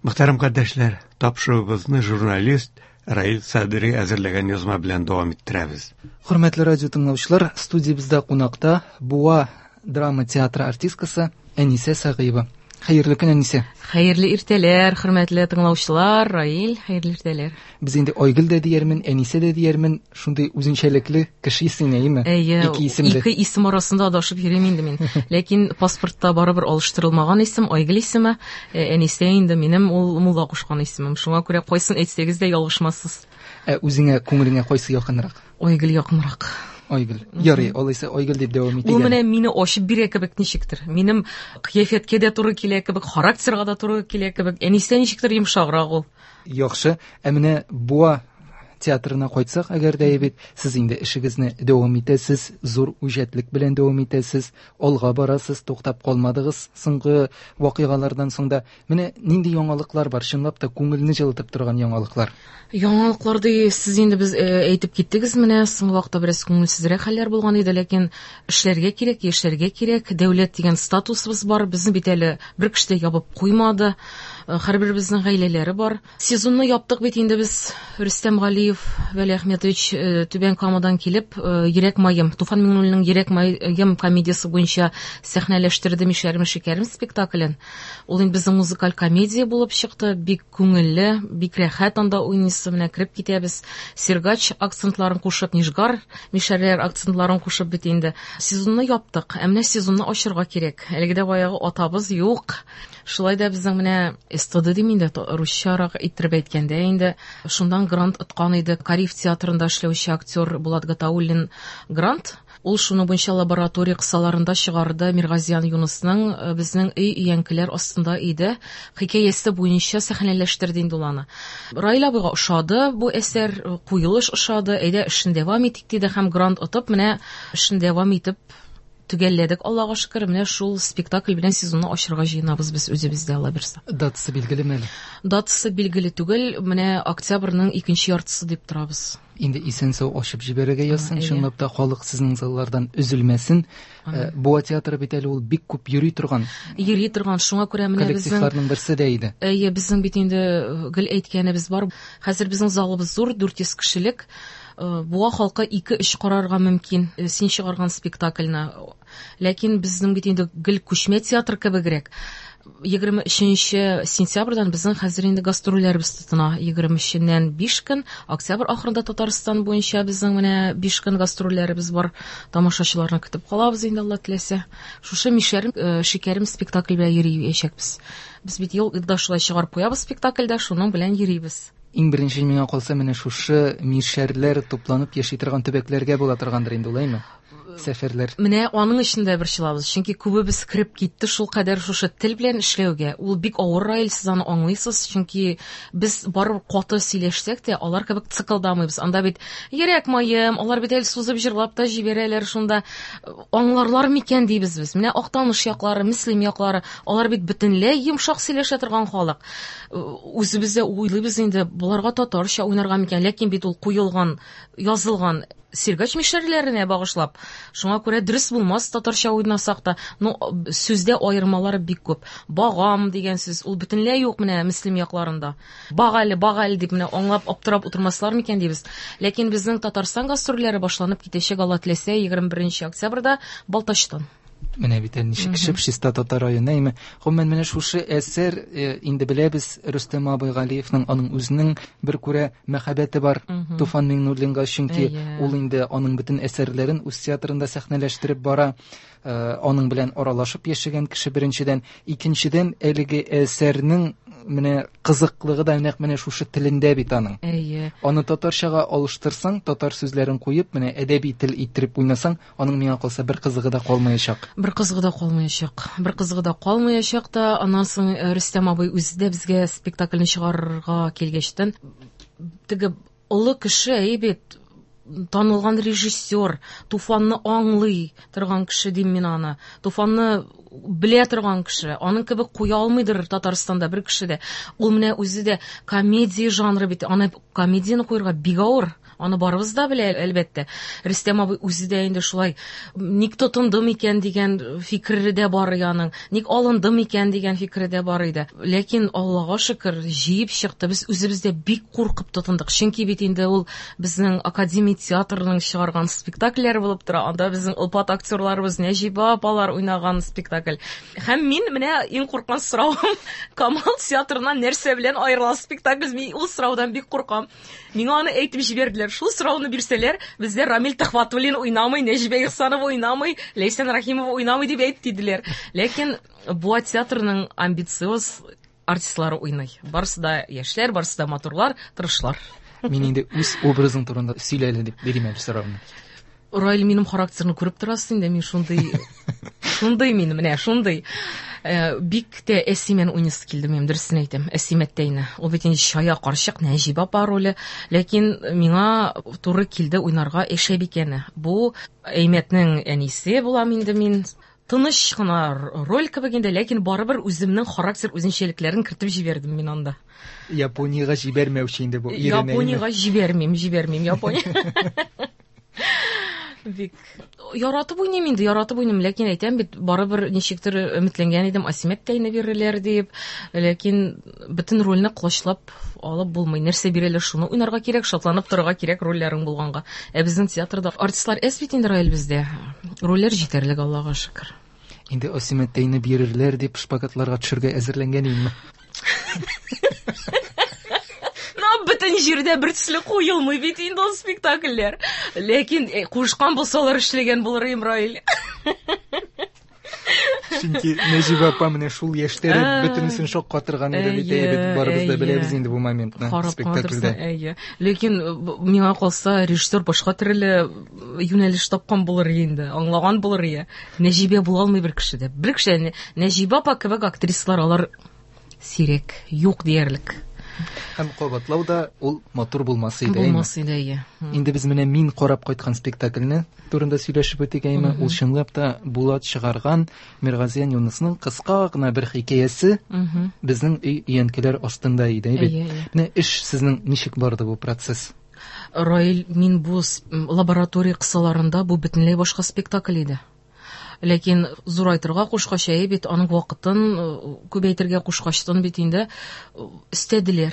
Мөхтәрәм кардәшләр, тапшыруыбызны журналист Раил Садри әзерләгән язма белән дәвам иттерәбез. Хөрмәтле радио тыңлаучылар, студиябездә кунакта Буа драма театры артисткасы Әнисә Сәгыева. Хәерле көн, Әнисә. Хәерле иртәләр, хөрмәтле тыңлаучылар, Раил, хәерле иртәләр. Без инде Айгөл дә диярмен, Әнисә дә диярмен, шундый үзенчәлекле кеше син, әйеме? Әйе, Ике исемле. Ике исем арасында адашып йөрим инде мин. Ләкин паспортта барыбер алыштырылмаган исем, Айгөл исеме, Әнисә инде минем ул мулла кушкан исемем. Шуңа күрә кайсын әйтсәгез дә ялгышмассыз. Ә үзеңә, күңелеңә кайсы якынрак? Айгөл якынрак. Айгөл. Ярый, алайса Айгөл дип дәвам итик. Ул менә мине ачып бирә кебек ничектер. Минем кыяфәткә дә туры килә кебек, характерга да туры килә кебек. Әнисә ничектер йомшаграк ул. Яхшы. Ә менә Буа театрына кайтсак, әгәр дә бит, сез инде эшегезне дәвам итәсез, зур үҗәтлек белән дәвам итәсез, алга барасыз, туктап калмадыгыз соңгы вакыйгалардан соң да. Менә нинди яңалыклар бар, чынлап та күңелне җылытып торган яңалыклар? Яңалыклар ди, сез инде без әйтеп киттегез, менә соңгы вакытта бераз күңелсезрәк хәлләр булган иде, ләкин эшләргә кирәк, яшәргә кирәк, дәүләт дигән статусыбыз бар, безне бит әле бер кеше дә ябып куймады, һәрберебезнең гаиләләре бар. Сезонны яптык бит инде без, Рөстәм Галиев, Вәли Әхмәтович, Түбән Камадан килеп, Йөрәк маем, Туфан Миңнуллинның Йөрәк маем комедиясе буенча сәхнәләштерде Мишәрем шикәрем спектаклен. Ул инде безнең музыкаль комедия булып чыкты, бик күңелле, бик рәхәт анда уйныйсы, менә кереп китәбез. Сергач акцентларын кушып, Нижгар мишәрләр акцентларын кушып бит инде. Сезонны яптык, ә менә сезонны ачырга кирәк. Әлеге дә баягы атабыз юк. Шулай да безнең менә СТД дим инде, русчарак иттереп әйткәндә инде, шуннан грант откан иде. Кариев театрында эшләүче актер Булат Гатауллин грант. Ул шуның буенча лаборатория кысаларында чыгарды Миргазиян Юнысның безнең өй өянкеләр астында иде. Хикәясе буенча сәхнәләштерде инде ул аны. Раил абыйга ошады бу әсәр, куелыш ошады, әйдә эшен дәвам итик диде һәм грант отып, менә эшен дәвам итеп төгәлләдек, Аллага шөкер, менә шул спектакль белән сезонны ачырга җыенабыз без үзебездә, Алла бирсә. Датасы билгелеме әле? Датасы билгеле түгел, менә октябрьнең икенче яртысы дип торабыз. Инде исән-сау ачып җибәрергә язсын, чынлап та халык сезнең заллардан өзелмәсен. Буа театры бит әле ул бик күп йөри торган. Йөри торган, шуңа күрә менә безнең коллективларның берсе дә иде. Әйе, безнең бит инде гел әйткәнебез бар. Хәзер безнең залыбыз зур, 400 кешелек. Буа халкы ике-өч карарга мөмкин, син чыгарган спектакльне. Ләкин безнең бит инде гел күчмә театр кебегрәк. Егерме өченче сентябрьдән безнең хәзер инде гастрольләребез тотына. Егерме өченнән 5 көн, октябрь ахырында Татарстан буенча безнең менә 5 көн гастрольләребез бар. Тамашачыларны көтеп калабыз инде, Алла теләсә. Шушы Мишәрем шикәрем спектакль белән йөриячәкбез. Без бит елда шулай чыгарып куябыз спектакльдә, шуның белән йөрибез. Иң беренче миңа калса, менә шушы мишәрләр тупланып яши торган төбәкләргә була торгандыр инде, улаймы? Сәфәрләр. Менә аның өчен дә борчылабыз, чөнки күбебез кереп китте шул кадәр шушы тел белән эшләүгә. Ул бик авыр, Раил, сез аны аңлыйсыз, чөнки без барыбер каты сөйләшсәк тә, алар кебек цикылдамыйбыз. Анда бит йөрәк маем, алар бит әле сузып җырлап та җибәрәләр шунда. Аңларлар микән дибез без. Менә Актаныш яклары, Мөслим яклары, алар бит бөтенләй йомшак сөйләшә торган халык. Үзебез дә уйлыйбыз инде, боларга татарча уйнарга микән, ләкин бит ул куелган, язылган Сергач мишәрләренә багышлап. Шуңа күрә дөрес булмас татарча уйнасак та. Ну, сүздә аермалар бик күп. Багам дигән сүз, ул бөтенләй юк менә Мөслим якларында. Баг әле, баг әле дип менә аңлап аптырап утырмаслар микән дибез. Ләкин безнең Татарстан гастрольләре башланып китәчәк, Алла теләсә, егерме беренче октябрьдә Балтачтан. Менә бит әле ничек чип-чиста татар районы, әйме? Гомумән, менә шушы әсәр, инде беләбез, Рөстәм абый Галиевның, аның үзенең бер күрә мәхәббәте бар Туфан Миңнуллинга, чөнки ул инде аның бөтен әсәрләрен үз театрында сәхнәләштереп бара. Аның белән аралашып яшәгән кеше беренчедән, икенчедән әлеге әсәрнең менә кызыклыгы да нәкъ менә шушы телендә бит аның. Аны татарчага алыштырсаң, татар сүзләрен куеп, менә әдәби тел иттереп уйнасаң, аның миңа калса бер кызыгы да калмаячак. Бер кызыгы да калмаячак. Бер кызыгы да калмаячак та, аннан соң, Рөстәм абый үзе дә безгә спектакльне чыгарырга килгәчтен, теге олы кеше, әй бит, танылган режиссер, Туфанны аңлый торган кеше дим мин аны. Туфанны белә торган кеше, аның кебек куя алмыйдыр Татарстанда бер кеше дә. Ул менә үзе дә комедия жанры бит, аны комедияне куярга бик авыр. Аны барыбыз да белә, әлбәттә. Рөстәм абый үзе дә инде шулай ник тотындым икән дигән фикере дә бар аның, ник алындым икән дигән фикере дә бар иде. Ләкин Аллага шөкер, җыеп чыкты. Без үзебез дә бик куркып тотындык. Чөнки бит инде ул безнең академия театрының чыгарган спектакльләре булып тора. Анда безнең олпат актерларыбыз Нәҗибә апалар уйнаган спектакль. Һәм мин менә иң курккан соравым Камал театрыннан нәрсә белән аерыла спектакль? Мин ул сораудан бик куркам. Миңа аны әйтеп җибәрделәр. Шул сорауны бирсәләр, бездә Рамил Төхвәтуллин уйнамый, Нәҗибә Ихсанова уйнамый, Ләйсән Рәхимова уйнамый дип әйт диделәр. Ләкин Буа театрының амбициоз артистлары уйный. Барысы да яшьләр, барысы да матурлар, тырышлар. Мин инде үз образың турында сөйлә әле дип бирим әле сорауны. Раил, минем характерны күреп торасың инде, мин шундый, шундый мин, менә шундый. Бик тә Әсимән уйныйсы килде минем, дөресен әйтәм, Әсимәттәйне. Ул бит инде чая карчык, Нәҗибә апа роле. Ләкин миңа туры килде уйнарга Әшәбикәне. Бу Әймәтнең әнисе булам инде мин. Тыныч кына роль кебек инде, ләкин барыбер үземнең характер үзенчәлекләрен кертеп җибәрдем мин анда. Япониягә җибәрмәүче инде бу ирен. Япониягә җибәрмим, җибәрмим Япония. Бик яратып уйныйм инде, яратып уйныйм, ләкин әйтәм бит, барыбер ничектер өметләнгән идем, Асимәттәйне бирерләр дип, ләкин бөтен рольне колачлап алып булмый. Нәрсә бирәләр, шуны уйнарга кирәк, шатланып торырга кирәк рольләрең булганга. Ә безнең театрда артистлар әз бит инде, Раил, бездә. Рольләр җитәрлек, Аллага шөкер. Инде Асимәттәйне бирерләр дип шпагатларга төшергә әзерләнгән идеңме? Бөтен җирдә бер төсле куелмый бит инде ул спектакльләр. Ләкин кушкан булсалар эшләгән булыр идем, Раил. Чөнки Нәҗибә апа менә шул яшьтә бөтенесен шаккатырган иде бит, әйе бит, барыбыз да беләбез инде бу моментны спектакльдә. Әйе. Ләкин миңа калса, режиссер башка төрле юнәлеш тапкан булыр инде, аңлаган булыр иде. Нәҗибә була алмый бер кеше дә. Бер кеше Нәҗибә апа кебек актрисалар алар сирәк, юк диярлек. Һәм кабатлау да ул матур булмас иде. Булмас иде, әйе. Инде без менә мин карап кайткан спектакльне турында сөйләшеп үтик, әйме? Ул чынлап та Булат чыгарган Миргазиян Юнысның кыска гына бер хикәясе безнең өй өянкеләр астында иде, әйе бит? Менә эш сезнең ничек барды бу процесс? Раил, мин бу лаборатория кысаларында бу бөтенләй башка спектакль иде. Ләкин зурайтырга кушкач, әйе бит, аның вакытын күбәйтергә кушкачтын бит инде өстәделәр.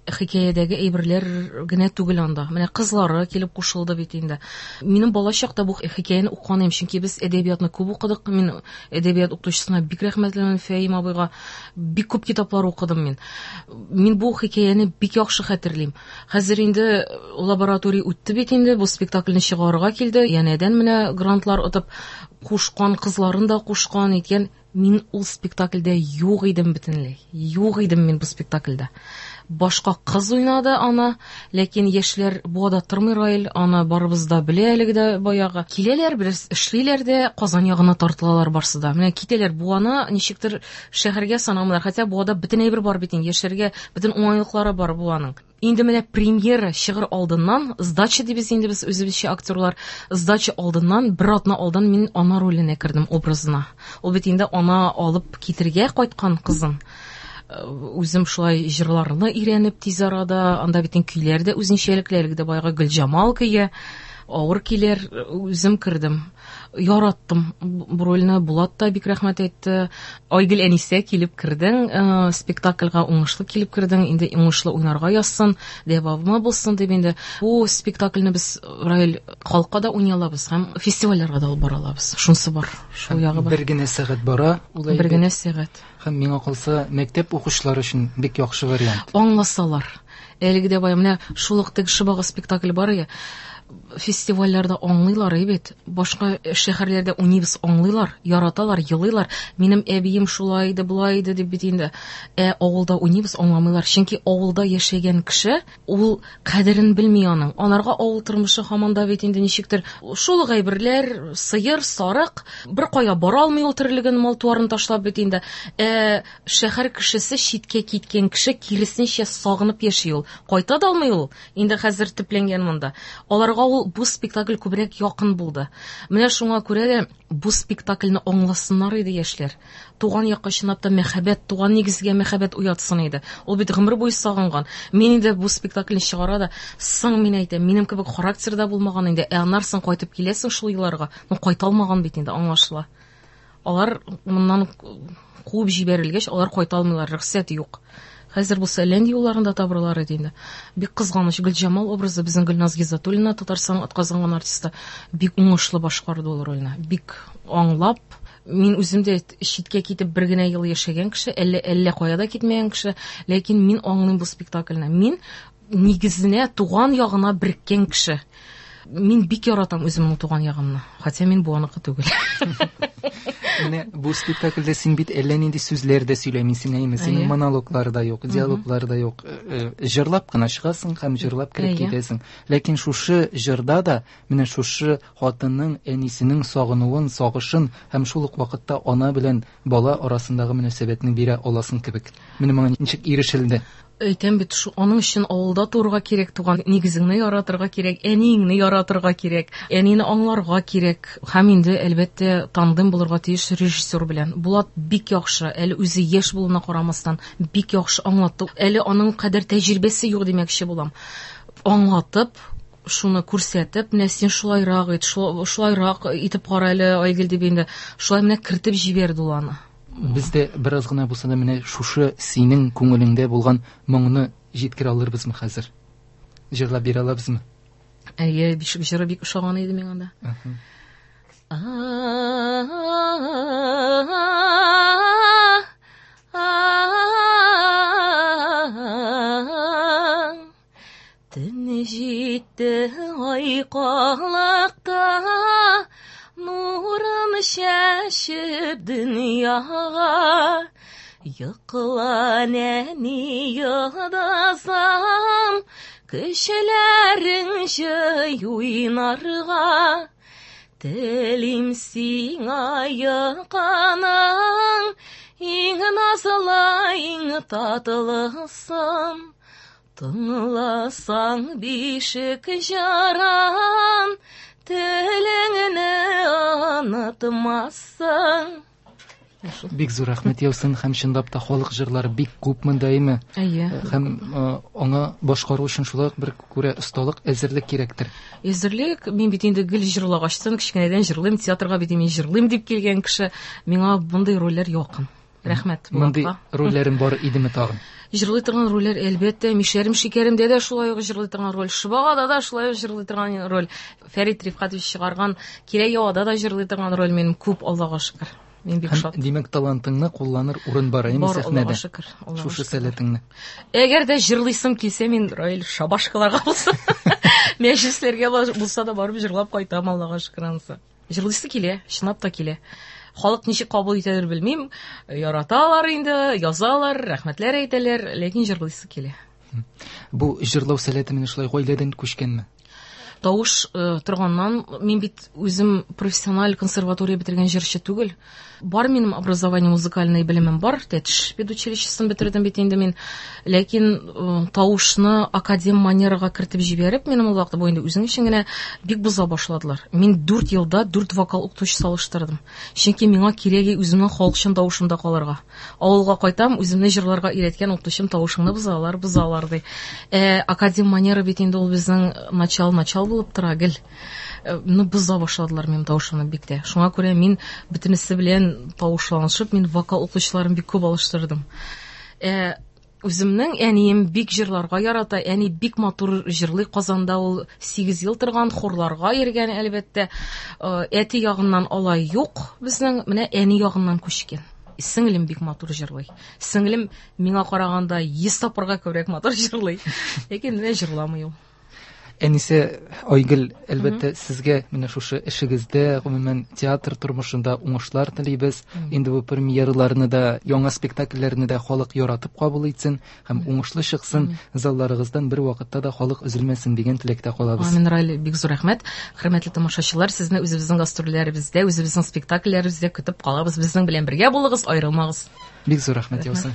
Хикәядәге әйберләр генә түгел анда. Менә кызлары килеп кушылды бит инде. Минем бала чакта бу хикәяне укыган идем, чөнки без әдәбиятны күп укыдык. Мин әдәбият укытучысына бик рәхмәтлемен, Фәим абыйга. Бик күп китаплар укыдым мин. Мин бу хикәяне бик яхшы хәтерлим. Хәзер инде лаборатория үтте бит инде, бу спектакльне чыгарырга килде. Янәдән менә грантлар отып кушкан, кызларын да кушкан икән. Мин ул спектакльдә юк идем бөтенләй. Юк идем мин бу спектакльдә. Башка кыз уйнады аны, ләкин яшьләр Буада тормый, Раил, аны барыбыз да белә әлеге дә баягы. Киләләр, бераз эшлиләр дә, Казан ягына тартылалар барсы да. Менә китәләр Буаны, ничектер шәһәргә санамыйлар. Хотя Буада бөтен әйбер бар бит инде, яшәргә бөтен уңайлыклары бар Буаның. Инде менә премьера чыгыр алдыннан, сдача дибез инде без үзебезчә актерлар, сдача алдыннан, бер атна алдан мин ана роленә кердем, образына. Ул бит инде ана алып китергә кайткан кызын. Үзем шулай җырларны өйрәнеп тиз арада, анда бит инде көйләр дә үзенчәлекле, әлеге дә баягы Гөлҗамал көе, авыр көйләр, үзем кердем. Яраттым бу рольне, Булат та бик рәхмәт әйтте. Айгөл Әнисә килеп кердең, спектакльгә уңышлы килеп кердең, инде уңышлы уйнарга язсын, дәвамы булсын дип инде. Бу спектакльне без, Раил, халыкка да уйный алабыз һәм фестивальләргә дә алып бара алабыз. Шунысы бар, шул ягы бар. Бер генә сәгать бара ул әйбер. Бер генә сәгать. Һәм миңа калса, мәктәп укучылары өчен бик яхшы вариант. Аңласалар. Әлеге дә бая менә шул ук теге Шыбага спектакль бар я. Фестивальләрдә аңлыйлар бит. Башка шәһәрләрдә уйныйбыз, аңлыйлар, яраталар, елыйлар. Минем әбием шулай иде, болай иде дип бит инде. Ә авылда уйныйбыз, аңламыйлар. Чөнки авылда яшәгән кеше ул кадерен белми аның. Анарга авыл тормышы һаман да бит инде ничектер шул әйберләр, сыер, сарык, бер кая бара алмый ул терлеген, мал-туарын ташлап бит инде. Ә шәһәр кешесе, читкә киткән кеше киресенчә сагынып яши ул. Кайта да алмый ул. Инде хәзер төпләнгән монда. Аларга Аңа ул бу спектакль күбрәк якын булды. Менә шуңа күрә дә бу спектакльне аңласыннар иде яшьләр. Туган якка чынлап та мәхәббәт, туган нигезгә мәхәббәт уятсын иде. Ул бит гомер буе сагынган. Мин инде бу спектакльне чыгара да, соң мин әйтәм, минем кебек характер да булмаган инде. Ә аннан соң кайтып киләсең шул елларга. Ну, кайта алмаган бит инде, аңлашыла. Алар моннан куып җибәрелгәч, алар кайта алмыйлар, рөхсәт юк. Хәзер булса әллә нинди юлларын да табырлар иде инде. Бик кызганыч, Гөлҗамал образы безнең Гөлназ Гиззатуллина, Татарстанның атказанган артисты, бик уңышлы башкарды ул рольне. Бик аңлап, мин үзем дә читкә китеп бер генә ел яшәгән кеше, әллә әллә кая да китмәгән кеше, ләкин мин аңлыйм бу спектакльне. Мин нигезенә, туган ягына береккән кеше. Мин бик яратам үземнең туган ягымны, хотя мин буаныкы түгел. Менә бу спектакльдә син бит әллә нинди сүзләр дә сөйләмисең, әйеме? Синең монологлар да юк, диалоглар да юк. Җырлап кына чыгасың һәм җырлап кереп китәсең. Ләкин шушы җырда да менә шушы хатынның әнисенең сагынуын, сагышын һәм шул ук вакытта ана белән бала арасындагы мөнәсәбәтне бирә аласың кебек. Менә моңа ничек ирешелде? Әйтәм бит, аның өчен авылда туырга кирәк, туган нигезеңне яратырга кирәк, әниеңне яратырга кирәк, әнине аңларга кирәк. Һәм инде, әлбәттә, тандем булырга тиеш режиссер белән. Булат бик яхшы, әле үзе яшь булуына карамастан, бик яхшы аңлатты. Әле аның кадәр тәҗрибәсе юк димәкче булам. Аңлатып, шуны күрсәтеп, менә син шулайрак ит, шулайрак итеп кара әле, Айгөл дип инде, шулай менә кертеп җибәрде ул аны. Без дә бераз гына булса да менә шушы синең күңелеңдә булган моңны җиткерә алырбызмы хәзер? Җырлап бирә алабызмы? Әйе, бишек җыры бик ошаган иде миңа да. Төн җитте ай калыкта, нурын чәчеп дөньяга. Йокла, нәни йолдызым, көчләрең җый уйнарга. Телим сиңа йокының иң назлы, иң татлысын. Тыңласаң бишек җырын, телеңне онытмассың. Бик зур рәхмәт яусын, һәм чынлап та халык җырлары бик күп монда, әйме? Әйе. Һәм аңа башкару өчен шулай ук бер күрә осталык, әзерлек кирәктер. Әзерлек, мин бит инде гел җырлагачтын, кечкенәдән җырлыйм, театрга бит мин җырлыйм дип килгән кеше, миңа мондый рольләр якын. Рәхмәт. Мондый рольләрем бар идеме тагын? Җырлый торган рольләр, әлбәттә, Мишәрем шикәремдә дә шулай ук җырлый торган роль, Шыбагада да шулай ук җырлый торган роль, Фәрит Рифкатович чыгарган Кирәк явада да җырлый торган роль минем күп, Аллага шөкер. Мин бик шат. Димәк, талантыңны кулланыр урын бар, әйеме, Бар, сәхнәдә? Аллага шөкер, Аллага Шушы шөкер. сәләтеңне. Әгәр дә җырлыйсым килсә, мин Раил шабашкаларга булса, мәҗлесләргә булса да барып җырлап кайтам, Аллага шөкер анысы. Җырлыйсы килә, чынлап та килә. Халык ничек кабул итәдер белмим, яраталар инде, язалар, рәхмәтләр әйтәләр, ләкин җырлыйсы килә. Бу җырлау сәләте менә шулай гаиләдән күчкәнме? Тавыш торганнан, мин бит үзем профессиональ консерватория бетергән җырчы түгел. Бар минем образование, музыкальный белемем бар, Тәтеш педучилищесын бетердем бит инде мин. Ләкин тавышны академ манерага кертеп җибәреп, минем ул вакытта бу инде үзең өчен генә бик боза башладылар. Мин 4 елда 4 вокал укытучысы алыштырдым. Чөнки миңа кирәге үземнең халыкчан тавышымда калырга. Авылга кайтам, үземне җырларга өйрәткән укытучым тавышыңны бозалар, бозалар ди. Академ манера бит инде ул безнең начал-начал булып тора гел. Ну, боза башладылар минем тавышымны бик тә. Шуңа күрә мин бөтенесе белән тавышланышып, мин вокал укытучыларын бик күп алыштырдым. Үземнең әнием бик җырларга ярата, әни бик матур җырлый. Казанда ул 8 ел торган, хорларга йөргән, әлбәттә. Әти ягыннан алай юк безнең, менә әни ягыннан күчкән. Сеңлем бик матур җырлый. Сеңлем миңа караганда 100 тапкырга күбрәк матур җырлый. Ләкин менә җырламый ул. Әнисе Айгөл, әлбәттә, сезгә менә шушы эшегездә, гомумән театр тормышында уңышлар телибез. Инде бу премьераларны да, яңа спектакльләрне дә халык яратып кабул итсен һәм уңышлы чыксын. Залларыгыздан бер вакытта да халык өзелмәсен дигән теләктә калабыз. Амин, Раил, бик зур рәхмәт. Хөрмәтле тамашачылар, сезне үзебезнең гастрольләребездә, үзебезнең спектакльләребездә көтеп калабыз. Безнең белән бергә булыгыз, аерылмагыз. Бик зур рәхмәт, Яусын.